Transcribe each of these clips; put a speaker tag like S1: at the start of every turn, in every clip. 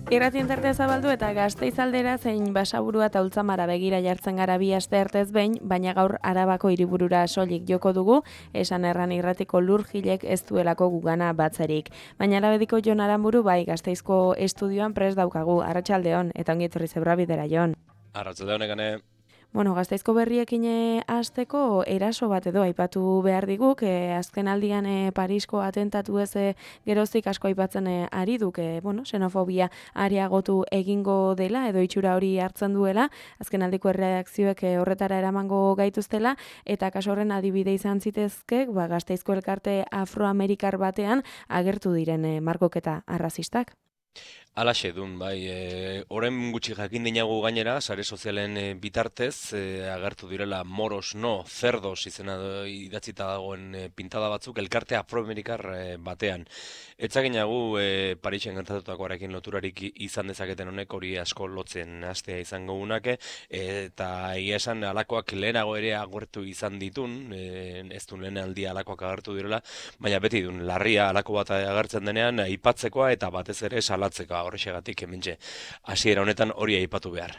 S1: Irratien tartea zabaldu eta Gasteiz aldera zein Basaburua eta Ultzamara begira jartzen gara bi aste artez behin, baina gaur Arabako hiriburura soilik joko dugu, esan erran irratiko lurjilek ez duelako gugana batzerik. Baina alabediko Jon Aranburu bai Gasteizko estudioan prest daukagu, arratsaldeon eta ongi etorri Zebrabidera Jon.
S2: Arratsaldeon egane.
S1: Bueno, Gasteizko berriekin hasteko eraso bat edo aipatu behar diguk, azken aldian Parisko atentatu ez geroztik asko aipatzen ari duk, xenofobia areagotu egingo dela edo itxura hori hartzen duela, azken aldiko erreakzioek horretara eramango gaituztela, eta kaso horren adibide izan zitezkek, Gasteizko elkarte afroamerikar batean agertu diren margoketa arrazistak.
S2: Alaxe dun, bai, oren gutxi jakin dinagu gainera, sare sozialen bitartez, agertu direla moros no, cerdos izena idatzita dagoen pintada batzuk, elkarte afroamerikar batean. Etzaginagu Parisen gertatutakoarekin loturarik izan dezaketen honek hori asko lotzen hastea izango unake, eta egia esan alakoak lehenago ere agertu izan ditun, ez du lehen aldia alakoak agertu direla, baina beti dun, larria alako bat agertzen denean, aipatzekoa eta batez ere salatzeko. Horrexegatik hementxe hasiera honetan hori aipatu behar.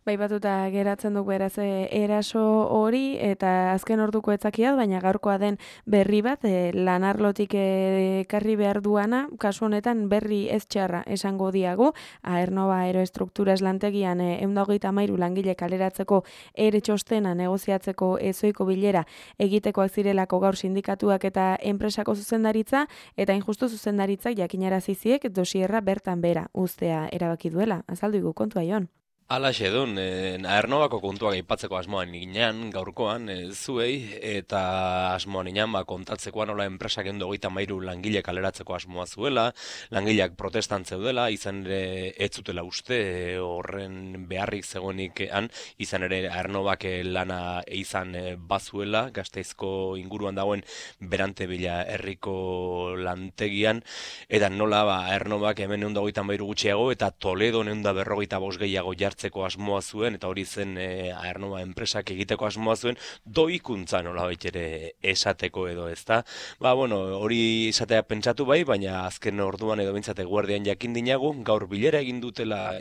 S1: Bai batuta geratzen duk beraz eraso hori eta azken orduko etzakiat, baina gaurkoa den berri bat lanarlotik ekarri behar duana, kasu honetan berri ez txarra esango diagu, Aernova Aeroestrukturas lantegian 123 langile kaleratzeko ere txostena negoziatzeko ezoiko bilera egitekoak zirelako gaur sindikatuak eta enpresako zuzendaritza, eta injustu zuzendaritzak jakinarazi ziek dosierra bertan bera uztea erabaki duela. Azaldu igu kontua Jon.
S2: Alaxe dun, Aernnovako kontuak aipatzeko asmoan inean, gaurkoan, zuei, eta asmoan inean, kontatzekoan nola enpresak 123 langile kaleratzeko asmoa zuela, langileak protestan zeudela, izan ere ez zutela uste horren beharrik zegoenik izan ere Aernnovak lana izan bazuela, Gasteizko inguruan dagoen Berantebila herriko lantegian, eta nola Aernnovak hemen 123 gutxiago, eta Toledo 145 gehiago jartzeko asmoa zuen, eta hori zen Aernova enpresak egiteko asmoa zuen, doikuntza nolabait ere esateko edo ezta. Hori esatea pentsatu bai, baina azken orduan edo bintzate guardian jakin dinagu, gaur bilera egin dutela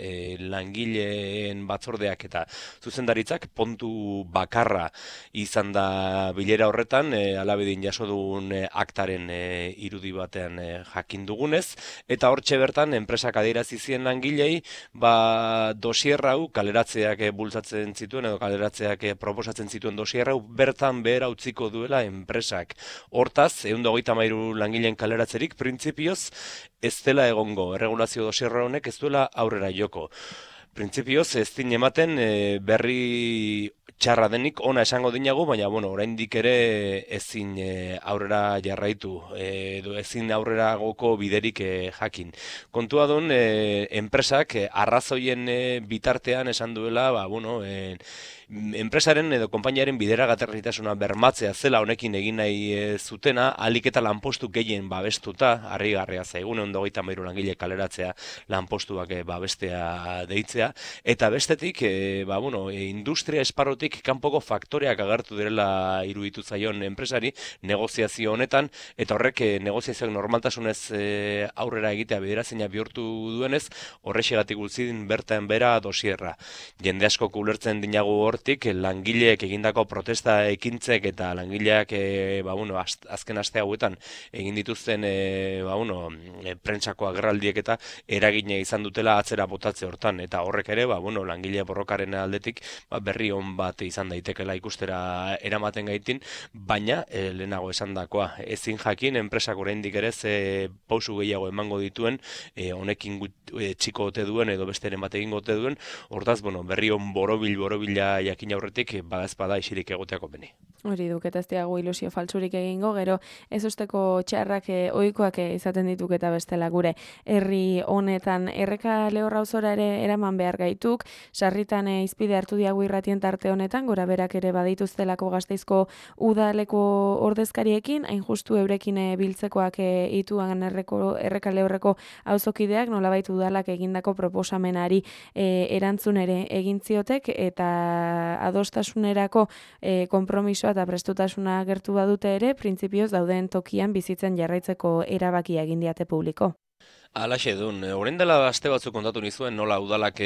S2: langileen batzordeak eta zuzendaritzak, pontu bakarra izan da bilera horretan, alabedin jaso dugun aktaren irudi batean jakin dugunez, eta hortxe bertan enpresak adierazi zien langilei, dosier hau kaleratzeak bultzatzen zituen edo kaleratzeak proposatzen zituen dosier hau bertan behera utziko duela enpresak. Hortaz, 123 langileen kaleratzerik printzipioz ez dela egongo. Erregulazio dosier honek ez duela aurrera joko. Printzipioz ez din ematen berri txarra denik ona esango dinagu, baina oraindik ere ezin aurrera jarraitu edo ezin aurrera goko biderik jakin. Kontua duen enpresak arrazoien bitartean esan duela, enpresaren edo konpainiaren bideragarritasuna bermatzea zela honekin egin nahi zutena, ahalik eta lanpostu gehien babestuta, harrigarria zaigun 123 langile kaleratzea lanpostuak babestea deitzea, eta bestetik, industria esparrotik kanpoko faktoreak agertu direla iruditu zaion enpresari negoziazio honetan, eta horrek negoziazioak normaltasunez aurrera egitea biderazina bihurtu duenez, horrexegatik utzidin bertan bera dosierra. Jende asko ulertzen dinagu hortik, langileek egindako protesta ekintzek eta langileak azken aste hauetan egin dituzten prentsako agerraldiek eta eragina izan dutela atzera botatze hortan, eta horrek ere langile borrokaren aldetik berri on bat izan daitekela ikustera eramaten gaitin, baina lehenago esandakoa ezin jakin enpresak oraindik ere ze pausu gehiago emango dituen, honekin txiko ote duen edo besteren bat egingo ote duen, hortaz berri on borobila jakin aurretik bada isirik egoteako beni.
S1: Hori duk, eta ez diago ilusio faltsurik egingo, gero ez usteko txarrak ohikoak izaten dituk eta bestela gure herri honetan. Erreka Lehorra auzora ere eraman behar gaituk, sarritan izpide hartu diagu irratien tarte honetan, gora berak ere badituztelako Gasteizko udaleko ordezkariekin, hain justu eurekin biltzekoak ituan Erreka Lehorreko auzokideak nolabait udalak egindako proposamenari erantzun ere egin ziotek, eta adostasunerako konpromisoa eta prestutasuna agertu badute ere, printzipioz dauden tokian bizitzen jarraitzeko erabakia egin diate publiko.
S2: Alaxe dun, orain dela aste batzuk kontatu nizuen nola udalak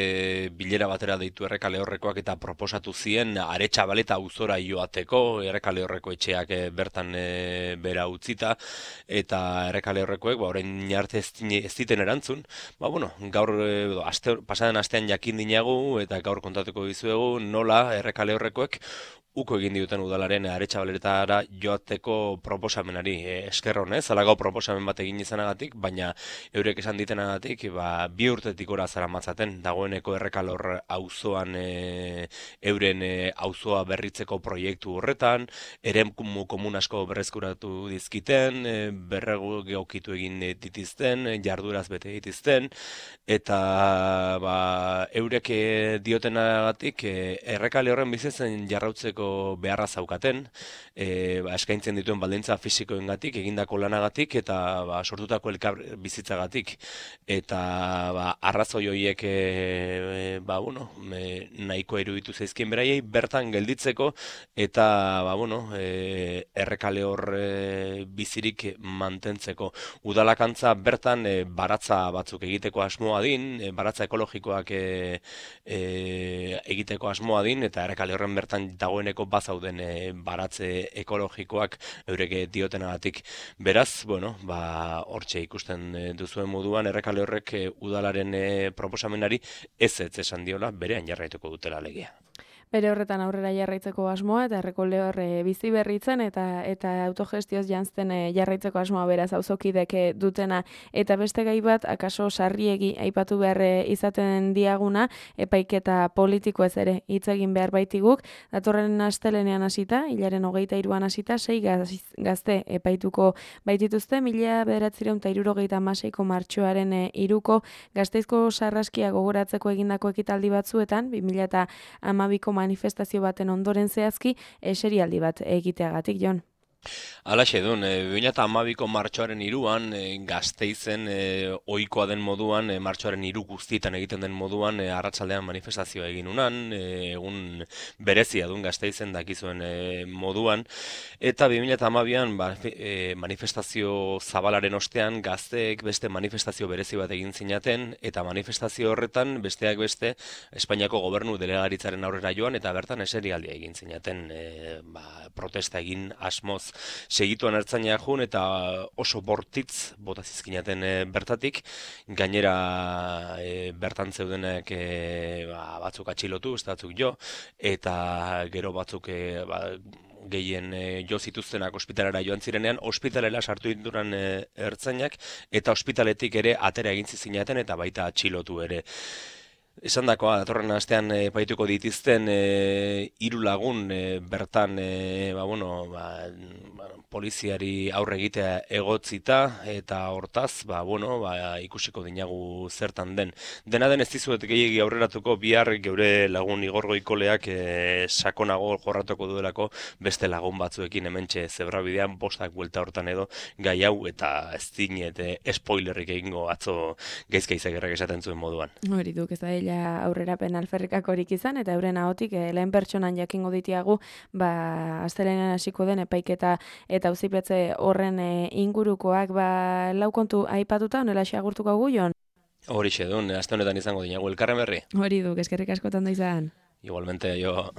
S2: bilera batera deitu Errekale Horrekoak eta proposatu zien Aretxabaleta auzora joateko, Errekale Horreko etxeak bertan bera utzita, eta Errekale Horrekoek orain arte ez ziten erantzun. Bueno, gaur pasaden astean jakin dinagu eta gaur kontatuko dizuegu nola Errekale Horrekoek uko egin diuten udalaren Aretxabaletara joateko proposamenari. Esker honez, halago proposamen bat egin izanagatik, baina eurek esan ditenagatik, 2 urtetik ora zaramatzaten dagoeneko Errekalor auzoan euren auzoa berritzeko proiektu horretan, eremu komun asko berreskuratu dizkiten, berregokitu egin ditizten, jarduraz bete ditizten, eta eurek diotenagatik Errekale horren bizitzen jarrautzeko beharra zaukaten, eskaintzen dituen baldintza fisikoengatik, egindako lanagatik eta sortutako elkar bizitzagatik. Eta arrazoi horiek nahiko iruditu zaizkien beraiei bertan gelditzeko eta Errekale hor bizirik mantentzeko. Udalakantza bertan baratza batzuk egiteko asmoa din, baratza ekologikoak egiteko asmoa din, eta Errekale horren bertan dagoeneko bazauden baratze ekologikoak eurek diotenagatik. Beraz, hortxe ikusten duzuen moduan, Errekale horrek udalaren proposamenari ez esan diola, berean jarraituko dutela legea.
S1: Bere horretan aurrera jarraitzeko asmoa eta Errekale hor bizi berritzen eta autogestioz janzten jarraitzeko asmoa beraz auzokidek dutena. Eta beste gai bat, akaso sarriegi aipatu behar izaten diaguna, epaiketa politiko ez ere hitz egin behar baitiguk. Datorren astelenean hasita, hilaren 23an hasita, 6 gazte epaituko baitituzte, 1976ko martxoaren 3ko Gasteizko sarraskia gogoratzeko egindako ekitaldi batzuetan, 2012ko manifestazio baten ondoren zehazki, serialdi bat egiteagatik, Jon.
S2: Alaxe dun, 2012ko martxoaren 3an Gasteizen ohikoa den moduan, martxoaren 3 guztietan egiten den moduan, arratsaldean manifestazioa egin unan, egun berezia dun Gasteizen dakizuen moduan, eta 2012an manifestazio zabalaren ostean gazteek beste manifestazio berezi bat egin zinaten, eta manifestazio horretan besteak beste Espainiako gobernu delegaritzaren aurrera joan, eta bertan eserialdia egin zinaten, protesta egin asmoz. Segituan ertzaina jun eta oso bortitz bota zizkinaten bertatik, gainera bertan zeudenek batzuk atxilotu, ez batzuk jo, eta gero batzuk gehien jo zituztenak ospitalera joan zirenean, ospitalera sartu dituran ertzainak, eta ospitaletik ere atera egin zizkinaten eta baita atxilotu ere. Esan dakoa, datorren astean epaituko dituzten 3 lagun bertan poliziari aurre egitea egotzita, eta hortaz, ikusiko dinagu zertan den. Dena den ez dizuet gehiegi aurreratuko, bihar geure lagun Igor Goikoleak sakonago jorratuko duelako beste lagun batzuekin hementxe zebrabidean, 5 buelta hortan edo gai hau, eta ez dinet spoilerrik egingo atzo gaizkaizagirrak esaten zuen moduan.
S1: Hori duk, ez da aurrerapen alferrikakorik izan, eta euren ahotik lehen pertsonan jakingo ditiagu, astelenean hasiko den epaiketa eta auzipetze horren ingurukoak, lau kontu aipatuta, honela agurtuko gu, Jon?
S2: Horixe dun, aste honetan izango dinagu elkarren berri.
S1: Hori duk, eskerrik askotan da izan.
S2: Igualmente, jo...